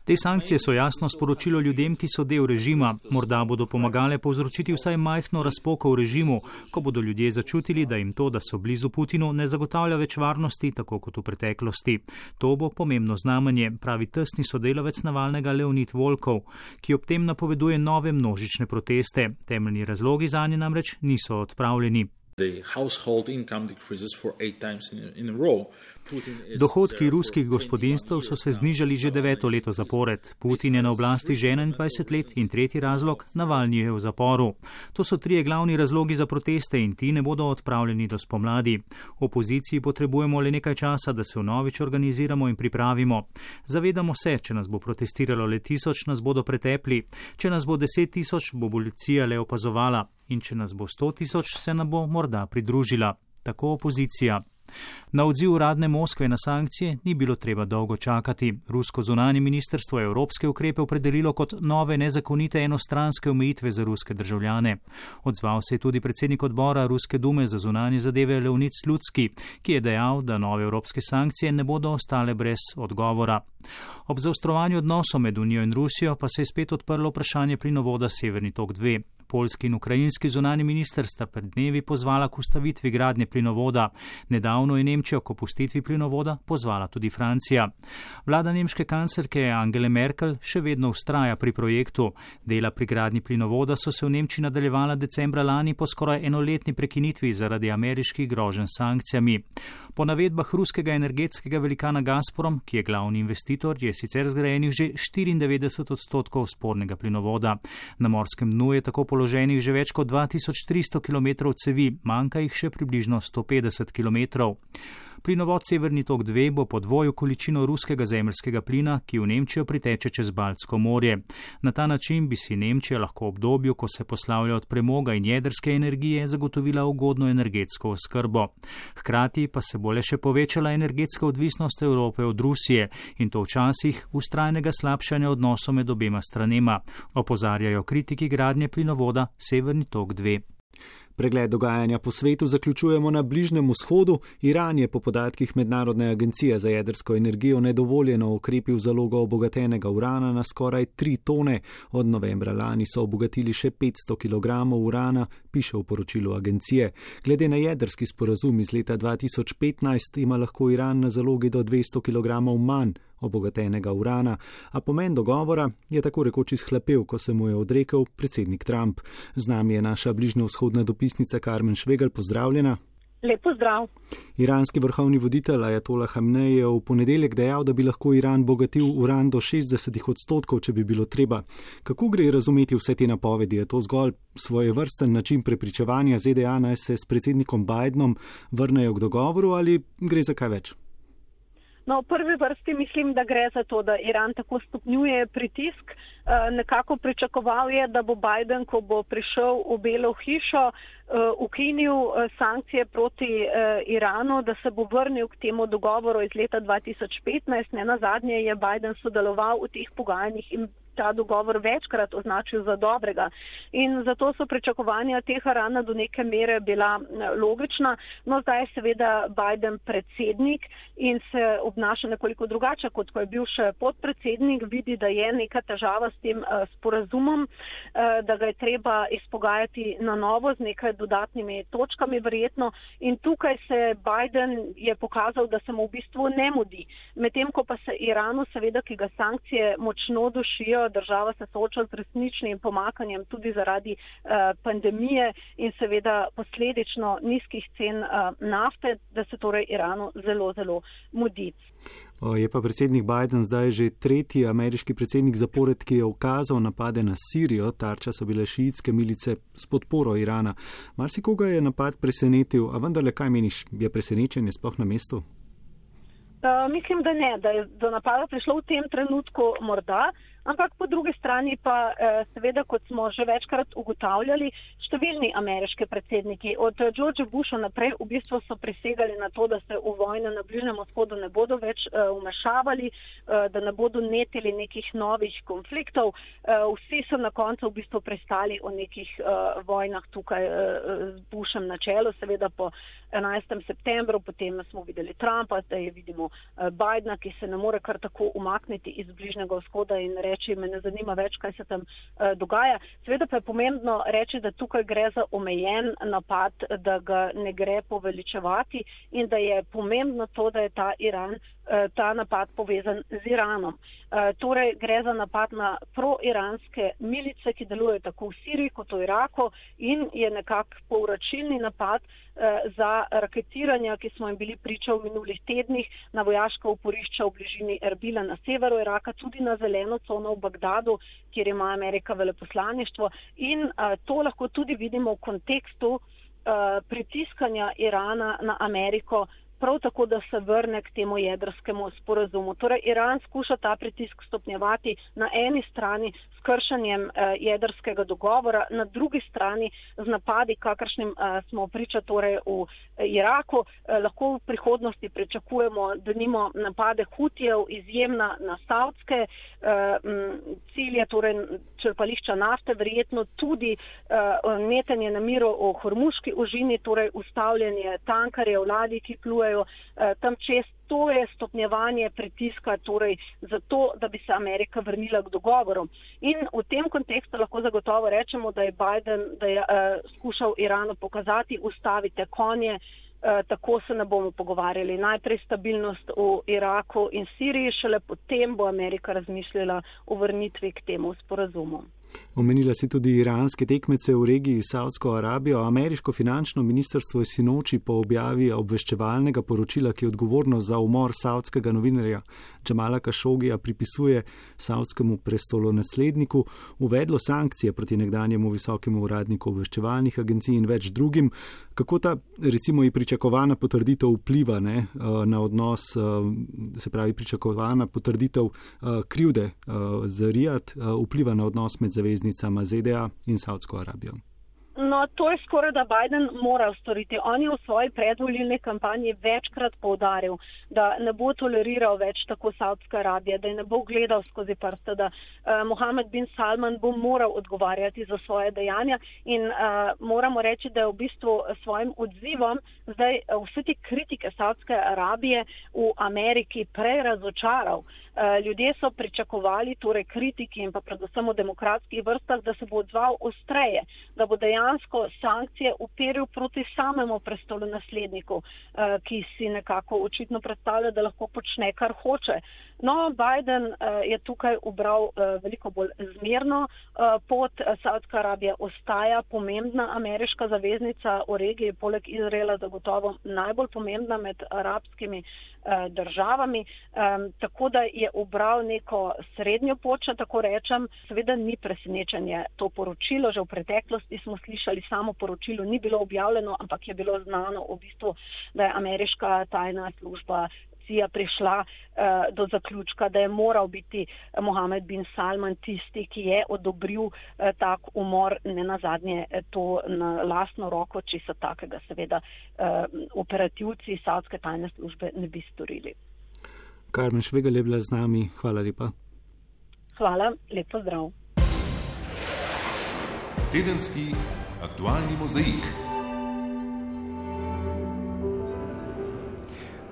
Te sankcije so jasno sporočilo ljudem, ki so del režima. Morda bodo pomagale povzročiti vsaj majhno razpoko v režimu, ko bodo ljudje začutili, da jim to, da so blizu Putinu, ne zagotavlja več varnosti, tako kot v preteklosti. To bo pomembno znamenje, pravi tesni sodelavec Navalnega Leonid Volkov, ki ob tem napoveduje nove množične proteste. Temeljni razlogi zanje namreč niso odpravljeni. Dohodki ruskih gospodinstv so se znižali že 9. leto zapored. Putin je na oblasti že 21 let in tretji razlog, Navalni je v zaporu. To so 3 glavni razlogi za proteste in ti ne bodo odpravljeni do spomladi. Opoziciji potrebujemo le nekaj časa, da se vnovič organiziramo in pripravimo. Zavedamo se, če nas bo protestiralo le 1000, nas bodo pretepli. Če nas bo 10 000, bo policija le opazovala. In če nas bo 100 000, se nam bo morda pridružila. Tako opozicija. Na odziv uradne Moskve na sankcije ni bilo treba dolgo čakati. Rusko zunanje ministrstvo je evropske ukrepe opredelilo kot nove nezakonite enostranske omejitve za ruske državljane. Odzval se je tudi predsednik odbora Ruske dume za zunanje zadeve Leonid Slutski, ki je dejal, da nove evropske sankcije ne bodo ostale brez odgovora. Ob zaostrovanju odnosov med Unijo in Rusijo pa se je spet odprlo vprašanje plinovoda Severni tok 2. Poljski in ukrajinski zunani minister sta pred dnevi pozvala k ustavitvi gradnje plinovoda. Nedavno je Nemčijo k opustitvi plinovoda pozvala tudi Francija. Vlada nemške kanclerke Angele Merkel še vedno vztraja pri projektu. Dela pri gradnji plinovoda so se v Nemčiji nadaljevala decembra lani po skoraj enoletni prekinitvi zaradi ameriških groženj s sankcijami. Po navedbah ruskega energetskega velikana Gazprom, ki je glavni investitor, je sicer zgrajenih že 94% spornega plinovoda. Na morskem dnu je tako položenih že več kot 2300 km cevi, manjka jih še približno 150 km. Plinovod Severni tok 2 bo podvojil količino ruskega zemeljskega plina, ki v Nemčijo priteče čez Baltsko morje. Na ta način bi si Nemčija lahko v obdobju, ko se poslavlja od premoga in jedrske energije, zagotovila ugodno energetsko oskrbo. Hkrati pa se bo le še povečala energetska odvisnost Evrope od Rusije in to včasih vztrajnega slabšanja odnosov med obema stranema, opozarjajo kritiki gradnje plinovoda Severni tok 2. Pregled dogajanja po svetu zaključujemo na Bližnjem vzhodu. Iran je po podatkih Mednarodne agencije za jedrsko energijo nedovoljeno okrepil zalogo obogatenega urana na skoraj 3 tone. Od novembra lani so obogatili še 500 kg urana, piše v poročilu agencije. Glede na jedrski sporazum iz leta 2015 ima lahko Iran na zalogi do 200 kg manj obogatenega urana, a pomen dogovora je tako rekoč izhlapel, ko se mu je odrekel predsednik Trump. Z nami je naša bližnjevzhodna dopisnica Karmen Švegelj, pozdravljena. Lep pozdrav. Iranski vrhovni voditelj Ajatolah Hamenej je v ponedeljek dejal, da bi lahko Iran bogatil uran do 60%, če bi bilo treba. Kako gre razumeti vse te napovedi? Je to zgolj svojevrsten način prepričevanja ZDA, naj se s predsednikom Bidenom vrnejo k dogovoru, ali gre za kaj več? No, v prvi vrsti mislim, da gre za to, da Iran tako stopnjuje pritisk nekako pričakoval je, da bo Biden, ko bo prišel v Belo hišo, ukinil sankcije proti Iranu, da se bo vrnil k temu dogovoru iz leta 2015. Nenazadnje je Biden sodeloval v teh pogajanjih in ta dogovor večkrat označil za dobrega. In zato so pričakovanja Teherana do neke mere bila logična. No, zdaj je seveda Biden predsednik in se obnaša nekoliko drugače, kot ko je bil še podpredsednik. Vidi, da je neka težava s tem sporazumom, da ga je treba izpogajati na novo z nekaj dodatnimi točkami verjetno. In tukaj se Biden je pokazal, da se mu v bistvu ne mudi. Medtem ko pa se Iranu, seveda, ki ga sankcije močno dušijo, država se sooča z resničnim pomakanjem tudi zaradi pandemije in seveda posledično nizkih cen nafte, da se torej Iranu zelo, zelo mudi. Je pa predsednik Biden zdaj že tretji ameriški predsednik zapored, ki je ukazal napade na Sirijo. Tarča so bile šiitske milice s podporo Irana. Marsikoga je napad presenetil, a vendarle, kaj meniš, je presenečenje sploh na mestu? Mislim, da ne, da je do napada prišlo v tem trenutku morda, ampak po drugi strani pa seveda, kot smo že večkrat ugotavljali, številni ameriški predsedniki od George Busha naprej v bistvu so prisegali na to, da se v vojne na Bližnjem vzhodu ne bodo več vmešavali, da ne bodo netili nekih novih konfliktov. Vsi so na koncu v bistvu pristali o nekih vojnah tukaj z Bushem na čelu, seveda po 11. septembru, potem smo videli Trumpa, zdaj vidimo Bidena, ki se ne more kar tako umakniti iz Bližnjega vzhoda in reči, me ne zanima več, kaj se tam dogaja. Seveda pa je pomembno reči, da tukaj gre za omejen napad, da ga ne gre poveličevati in da je pomembno to, da je ta napad povezan z Iranom. Torej gre za napad na pro-iranske milice, ki delujejo tako v Siriji kot v Iraku in je nekako povračilni napad za raketiranja, ki smo jim bili priča v minulih tednih na vojaška oporišča v bližini Erbila na severu Iraka, tudi na zeleno cono v Bagdadu, kjer ima Amerika veleposlaništvo. In to lahko tudi vidimo v kontekstu pritiskanja Irana na Ameriko, prav tako, da se vrne k temu jedrskemu sporazumu. Torej, Iran skuša ta pritisk stopnjevati na eni strani s kršenjem jedrskega dogovora, na drugi strani z napadi, kakršnim smo priča torej v Iraku. Lahko v prihodnosti pričakujemo, da nimo napade Hutijev izjemna na savdske cilje, torej črpališča nafte, verjetno tudi netenje na miru o Hormuški ožini, torej ustavljanje tankarjev, ladij, ki plujejo tam čez. To je stopnjevanje pritiska, torej zato, da bi se Amerika vrnila k dogovoru. In v tem kontekstu lahko zagotovo rečemo, da je Biden skušal Iranu pokazati, ustavite konje, tako se ne bomo pogovarjali. Najprej stabilnost v Iraku in Siriji, šele potem bo Amerika razmišljala o vrnitvi k temu sporazumu. Omenila si tudi iranske tekmece v regiji Saudsko Arabijo. Ameriško finančno ministrstvo je sinoči po objavi obveščevalnega poročila, ki je odgovorno za umor saudskega novinarja Jamala Khashogija pripisuje saudskemu prestolonasledniku, uvedlo sankcije proti nekdanjemu visokemu uradniku obveščevalnih agencij in več drugim. Kako ta, recimo, i pričakovana potrditev vpliva na odnos, se pravi pričakovana potrditev krivde za Rijad vpliva na odnos med zaveznicama ZDA in Saudsko Arabijo? No, to je skoraj, da Biden mora storiti. On je v svoji predvolilni kampanji večkrat poudaril, da ne bo toleriral več tako Saudske Arabije, da je ne bo gledal skozi prste, da Mohamed bin Salman bo moral odgovarjati za svoje dejanja in moramo reči, da je v bistvu svojim odzivom zdaj vse te kritike Saudske Arabije v Ameriki prej razočaral. Ljudje so pričakovali, torej kritiki in pa predvsem v demokratskih vrstah, da se bo odzval ostreje, da bo dejansko sankcije uperil proti samemu prestolonasledniku, ki si nekako očitno predstavlja, da lahko počne, kar hoče. No, Biden je tukaj ubral veliko bolj zmerno pot. Saudska Arabija ostaja pomembna ameriška zaveznica v regiji, poleg Izraela zagotovo najbolj pomembna med arabskimi državami, tako da je ubral neko srednjo pot, če tako rečem. Seveda ni presenečenje to poročilo, že v preteklosti smo slišali, samo poročilo ni bilo objavljeno, ampak je bilo znano v bistvu, da je ameriška tajna služba komisija prišla do zaključka, da je moral biti Mohamed bin Salman tisti, ki je odobril tak umor, ne nazadnje to na lastno roko, če so takega seveda operativci savdske tajne službe ne bi storili. Karmen Švegelj je bila z nami. Hvala lepa. Hvala, lep pozdrav. Tedenski aktualni mozaik.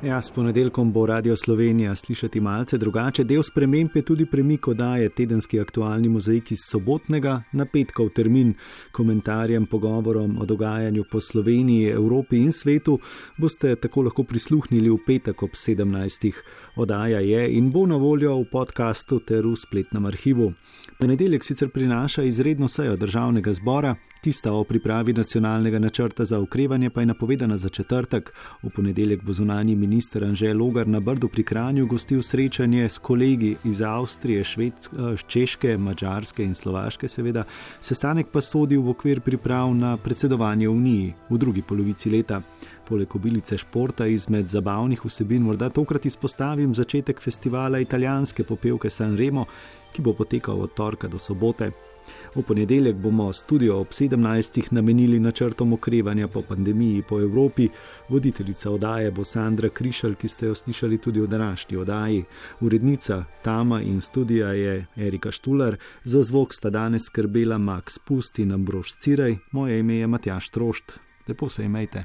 Ja, s ponedeljkom bo Radio Slovenija slišati malce drugače. Del sprememb je tudi premik oddaje Tedenski aktualni mozaik iz sobotnega na petkov termin. Komentarjem, pogovorom o dogajanju po Sloveniji, Evropi in svetu boste tako lahko prisluhnili v petek ob 17. Oddaja je in bo na voljo v podkastu ter v spletnem arhivu. Ponedeljek sicer prinaša izredno sejo Državnega zbora, tista o pripravi nacionalnega načrta za okrevanje pa je napovedana za četrtek. V ponedeljek bo zunanji minister Anže Logar na Brdu pri Kranju gostil srečanje s kolegi iz Avstrije, Češke, Madžarske in Slovaške seveda. Sestanek pa sodi v okvir priprav na predsedovanje Uniji v drugi polovici leta. Poleg obilice športa izmed zabavnih vsebin morda tokrat izpostavim začetek festivala italijanske popevke Sanremo, ki bo potekal od torka do sobote. V ponedeljek bomo studio ob 17. namenili načrtom okrevanja po pandemiji po Evropi. Voditeljica oddaje bo Sandra Krišelj, ki ste jo slišali tudi v današnji oddaji. Urednica Tama in studija je Erika Štular, za zvok sta danes skrbela Max Pust in Ambrož Cirej, moje ime je Matjaž Trošt. Lepo se imejte.